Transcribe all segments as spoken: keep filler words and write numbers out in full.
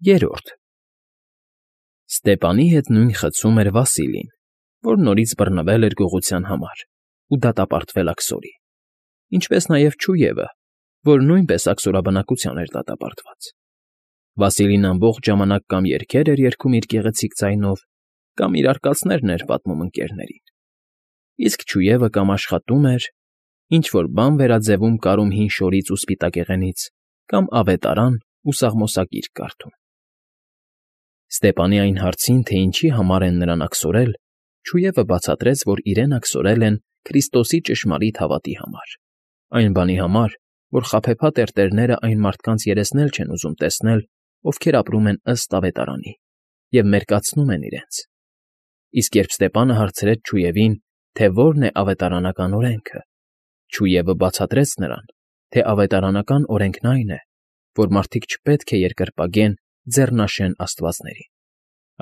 Երրորդ Ստեպանի հետ նույն խցում էր Վասիլին, որ նորից բռնվել էր գողության համար ու դատապարտվել աքսորի, ինչպես նաև Չուևը, որ նույնպես աքսորաբնակության էր դատապարտված։ Վասիլին ամբողջ ժամանակ կամ երգեր էր երգում իր գեղեցիկ ձայնով, կամ իր արկածներն էր պատմում ընկերներին, իսկ Չուևը կամ աշխատում էր, ինչ֊որ բան վերաձևում կարում հին շորից ու սպիտակեղենից, կամ ավետարան ու սաղմոսագիր կարդում։ Ստեպանի այն հարցին, թե ինչի համար են նրան աքսորել, Չուևը բացատրեց, որ իրեն աքսորել են Քրիստոսի ճշմարիտ հավատի համար, այն բանի համար, որ խաբեբա տերտերները այն մարդկանց երեսն էլ չեն ուզում տեսնել, ովքեր ապրում են ըստ ավետարանի և մերկացնում են իրենց։ Իսկ երբ Ստեպանը հարցրեց Չուևին, թե որն է ավետարանական օրենքը, Չուևը բացատրեց նրան, թե ավետարանական օրենքն այն է, որ մարդիկ չպետք է երկրպագեն ձեռնաշեն աստվածներին,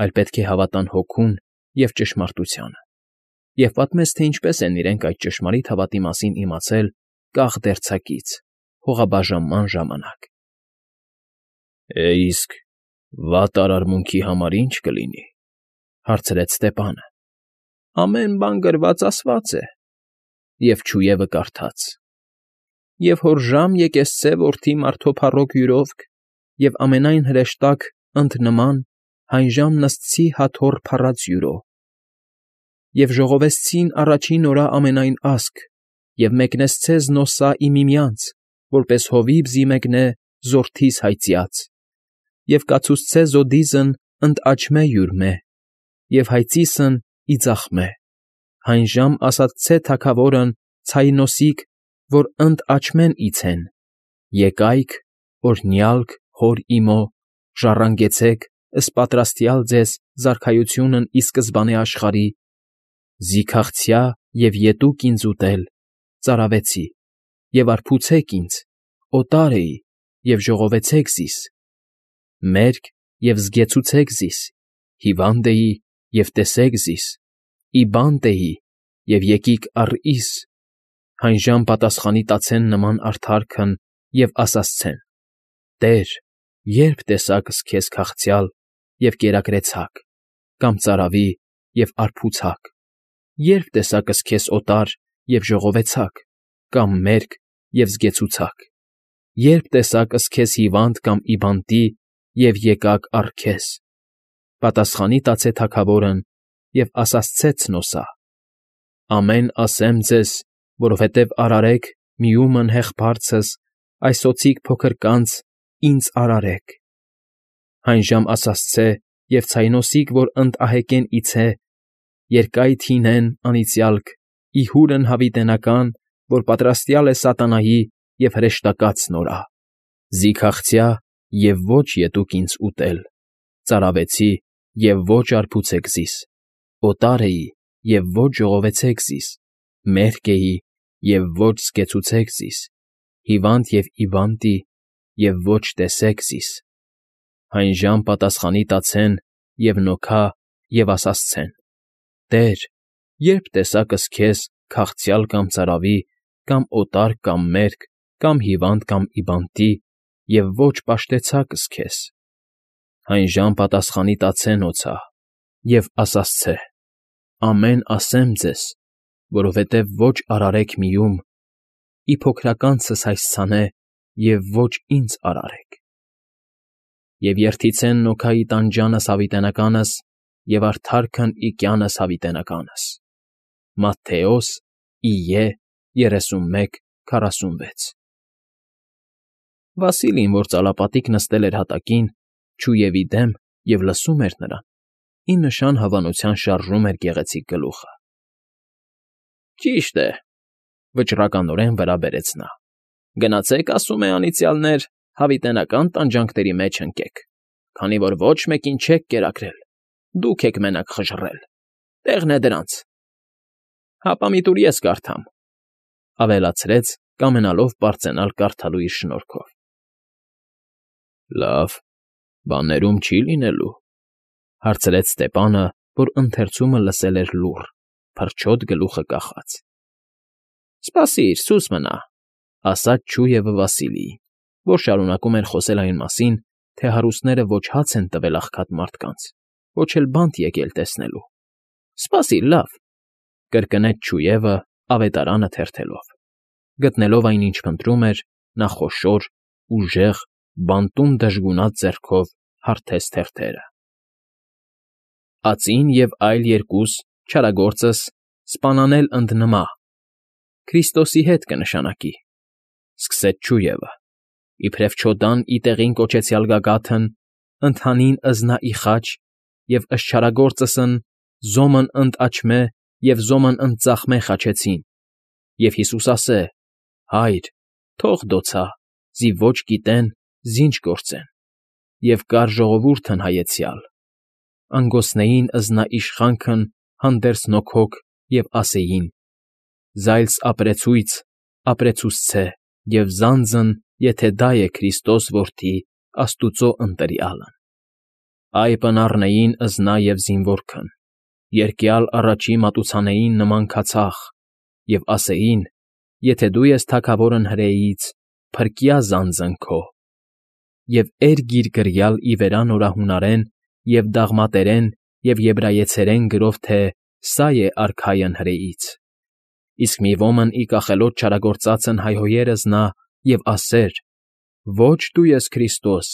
այլ պետք է հավատան Հոգուն և ճշմարտությանը, և պատմեց, թե ինչպես են իրենք այդ ճշմարիտ հավատի մասին իմացել կաղ֊դերձակից, հողաբաժանման ժամանակ։ «Է, իսկ վատ արարմունքի համար ի՞նչ կլինի,֊ հարցրեց Ստեպանը։ «Ամեն բան գրված ասված է,֊ և Չուևը կարդաց. «Եվ հորժամ եկեղեցե որդի մարդոփառոք յուրովք, և ամենայն հրեշտակ ընդ նման հայն ժամ նստցի հաթոռ փառած յուրո, և ժողովեցցին առաջին օրա ամենայն ասք, և մեկնեցցե զնոսա ի միմյանց, որպես հովիվ զի մեկնե զորդիս հայծյաց, և կացուցցե զոդիզն ընդ աչմե յուրմե, և հայծիսն ի ձախմե, հայն ժամ ասացցե թագավորն ցայնոսիկ, որ ընդ աչմեն իցեն, եկայք, օրհնյալք հոր իմո, ժառանգեցեք ըսպատրաստյալ ձեզ զարքայությունն ի սկզբանե աշխարհի, զի քաղցյա և ետուկ ինձ ուտել, ծարավեցի, և արբուցեք ինձ, օտար էի, և ժողովեցեք զիս, մերկ և զգեցուցեք զիս, հիվանդ էի, և տեսեք զիս, ի բանտ էի, և եկիք առ ինձ, հայն ժամ պատասխանի տացեն նման արդարքն և ասացցեն. «Տե՛ր, ե՞րբ տեսակս քեզ քաղցյալ և կերակրեցակ, կամ ծարավի և արբուցակ, ե՞րբ տեսակս քեզ օտար և ժողովեցակ, կամ մերկ և զգեցուցակ, ե՞րբ տեսակս քեզ հիվանդ կամ ի բանտի և եկաք առ քեզ»։ Պատասխանի տացե թագավորն և ասացցե ցնոսա. «Ամեն ասեմ ձեզ, որովհետև արարեք միումն հեղբարձս, այս օձիք փոքրկանց ինձ արարեք»։ Հայն ժամ ասացցե և ցայնոսիկ, որ ընդ ահեկեն իցե, երկայթ հինեն անիծյալք, ի հուրն հավիտենական, որ պատրաստյալ է սատանայի և հրեշտակած նորա, զի քաղցյա և ոչ ետուկ ինձ ուտել, ծարավեցի և ոչ արբուցեք զիս, օտար էի և ոչ ժողովեցեք զիս, մերկ էի և ոչ զգեցուցեք զիս, հիվանդ և ի բանտի և ոչ տեսեք զիս։ Հայն ժամ պատասխանի տացեն և նոքա և ասացցեն. «Տե՛ր, ե՞րբ տեսակս քեզ քաղցյալ կամ ծարավի, կամ օտար կամ մերկ, կամ հիվանդ կամ ի բանտի և ոչ պաշտեցակս քեզ»։ Հայն ժամ պատասխանի տացեն օձա և ասացցե. «Ամեն ասեմ ձեզ, որովհետև ոչ արարեք միում, ի փոքրականցս հայցցանե և ոչ ինձ արարեք»։ Եվ երդիցեն նոքա ի տանջանս հավիտենականս և արդարքն ի կյանս հավիտենականս։ Մատթեոս Իե երեսունմեկ քառասունվեց։ Վասիլին, որ ծալապատիկ նստել էր հատակին, Չուևի դեմ և լսում էր նրան, ի նշան հավանության շարժում էր գեղեցիկ գլուխը։ ֊ Ճիշտ է,֊ վճռականորեն վրա բերեց նա,֊ գնացեք, ասում է, անիծյալներ, հավիտենական տանջանքների մեջ ընկեք, քանի որ ոչ մեկին չեք կերակրել, դուք եք մենակ խժռել, տեղն է դրանց։ Հապա մի տուր ես կարդամ,֊ ավելացրեց, կամենալով պարծենալ կարդալու իր շնորհքով։ ֊ Լավ, բաներում չի՞ լինելու,֊ հարցրեց Ստեպանը, որ ընթերցումը լսել էր լուռ, փրչոտ գլուխը կախած։ ֊ Սպասիր, սուս մնա,֊ ասաց Չուևը Վասիլիին, որ շարունակում էր խոսել այն մասին, թե հարուստները ոչ հաց են տվել աղքատ մարդկանց, ոչ էլ բանտ եկել տեսնելու։ ֊ Սպասիր, լավ,֊ կրկնեց չուևը, ավետարանը թերթելով։ Գտնելով այն, ինչ փնտրում էր, նա խոշոր, ուժեղ, բանտում դժգունած ձեռքով հարթեց թերթերը։ «Ածին և այլ երկուս, չարագործս, սպանանել ընդնմա, Քրիստոսի հետ կնշանակի,֊ սկսեց չուևը,֊ իբրև չոդան ի տեղին կոչեցյալ գագաթն, ընդհանին ըզնա ի խաչ, և ըստ չարագործսն զոմն ընդ աչմե և զոմն ընդ ծախմե խաչեցին, և Հիսուս ասե. «Հա՛յր, թող դոցա, զի ոչ գիտեն, զինչ գործեն»։ Եվ կար ժողովուրդն հայեցյալ. անգոսնեին ըզնա իշխանքն հանդերձ նոքոք և ասեին. «Զայլս ապրեցույց, ապրեցուսցե, և զանձն, եթե դա է Քրիստոս որդի աստուծո ընտրյալն»։ Այ պնառնեին ըզնա և զինվորքն, երկյալ առաջի մատուցանեին նման քացախ, և ասեին. «Եթե դու ես թագավորն հրեաից, փրկյա զանձն քո»։ Եվ էրգիր կրյալ ի վերա նորահունարեն և դաղմատերեն և եբրայեցերեն գրով, թե սա է արքայն հրեաից։ Իսկ մի ոմն ի կախելոց չարագործածն հայհոյեր ըզնա և ասեր. «Ոչ դու ես Քրիստոս,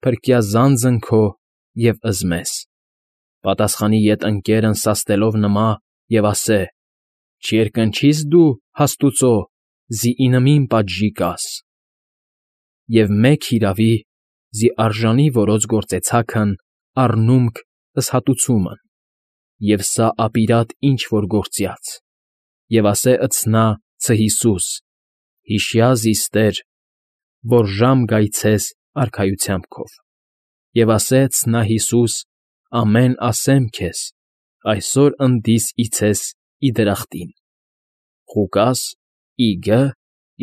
փրկյա զանձն քո և ըզմես»։ Պատասխանի ետ ընկերն սաստելով նմա և ասե. «Չերկնչի՞ս դու հաստուծո, զի ինմին պատժի կաս»։ Եվ մեկ հիրավի, զի արժանի որոց գործեցաքն առնումք ըսհատուցումն, և սա ապիրատ ինչ֊որ գործյաց, և ասե ըցնա ցը Հիսուս, հիշյա զիստեր, որ ժամ գայցես արքայությամբ քով, և ասե ըցնա Հիսուս, ամեն ասեմ քեզ, այսօր ընդիս իցես ի դրախտին։ Ղուկաս ի գ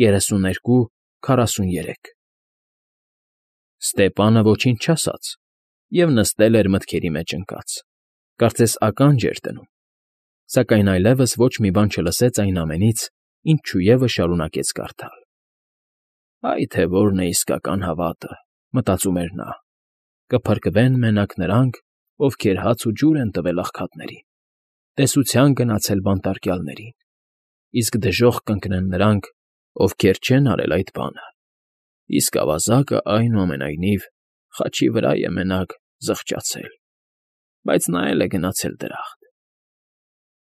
երեսուներկու քառասուներեք։ Ստեպանը ոչինչ չասաց և նստել էր մտքերի մեջ ընկած, կարծես ականջ էր դնում, սակայն այլևս ոչ մի բան չլսեց այն ամենից, ինչ չուևը շարունակեց կարդալ։ «Այ թե որն է իսկական հավատը,֊ մտածում էր նա,֊ կփրկվեն մենակ նրանք, ովքեր հաց ու ջուր են տվել աղքատներին, տեսության գնացել բանտարկյալներին, իսկ դժոխք կընկնեն նրանք, ովքեր չեն արել այդ բանը, իսկ ավազակը, այնուամենայնիվ, խաչի վրա է մենակ զղջացել, բայց նա էլ է գնացել դրախտ»։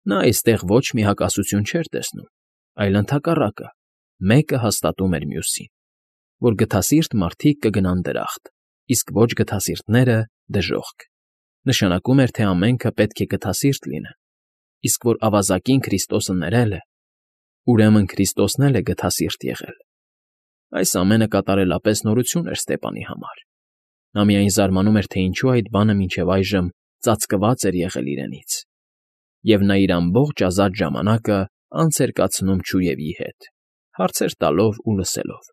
Նա այստեղ ոչ մի հակասություն չէր տեսնում, այլ ընդհակառակը, մեկը հաստատում էր մյուսին, որ գթասիրտ մարդիկ կգնան դրախտ, իսկ ոչ գթասիրտները՝ դժոխք, նշանակում էր, թե ամենքը պետք է գթասիրտ լինեն, իսկ որ ավազակին Քրիստոսը ներել է, ուրեմն Քրիստոսն էլ է գթասիրտ եղել։ Այս ամենը կատարելապես նորություն էր Ստեպանի համար։ Նա միայն զարմանում էր, թե ինչու այդ բանը մինչև այժմ ծածկված էր եղել իրենից, և նա իր ամբողջ ազատ ժամանակը անց էր կացնում չուևի հետ, հարցեր տալով ու լսելով,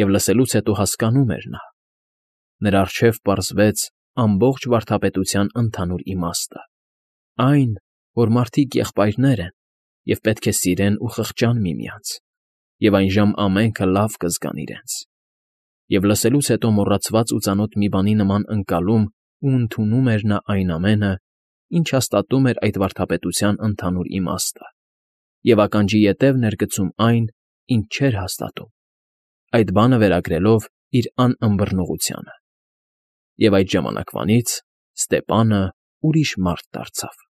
և լսելուց հետո հասկանում էր նա. նրա առջև պարզվեց ամբողջ վարդապետության ընդհանուր իմաստը, այն, որ մարդիկ եղբայրներ են և պետք է սիրեն ու խղճան միմյանց, և այնժամ ամենքը լավ կզգան իրենց, և լսելուց հետո մոռացված ու ծանոթ մի բանի նման ընկալում ու ընդունում էր նա այն ամենը, ինչ հաստատում էր այդ վարդապետության ընդհանուր իմաստը, և ականջի ետևն էր գցում այն, ինչ չէր հաստատում, այդ բանը վերագրելով իր անըմբռնողությանը։ Եվ այդ ժամանակվանից Ստեպանը ուրիշ մարդ դարձավ։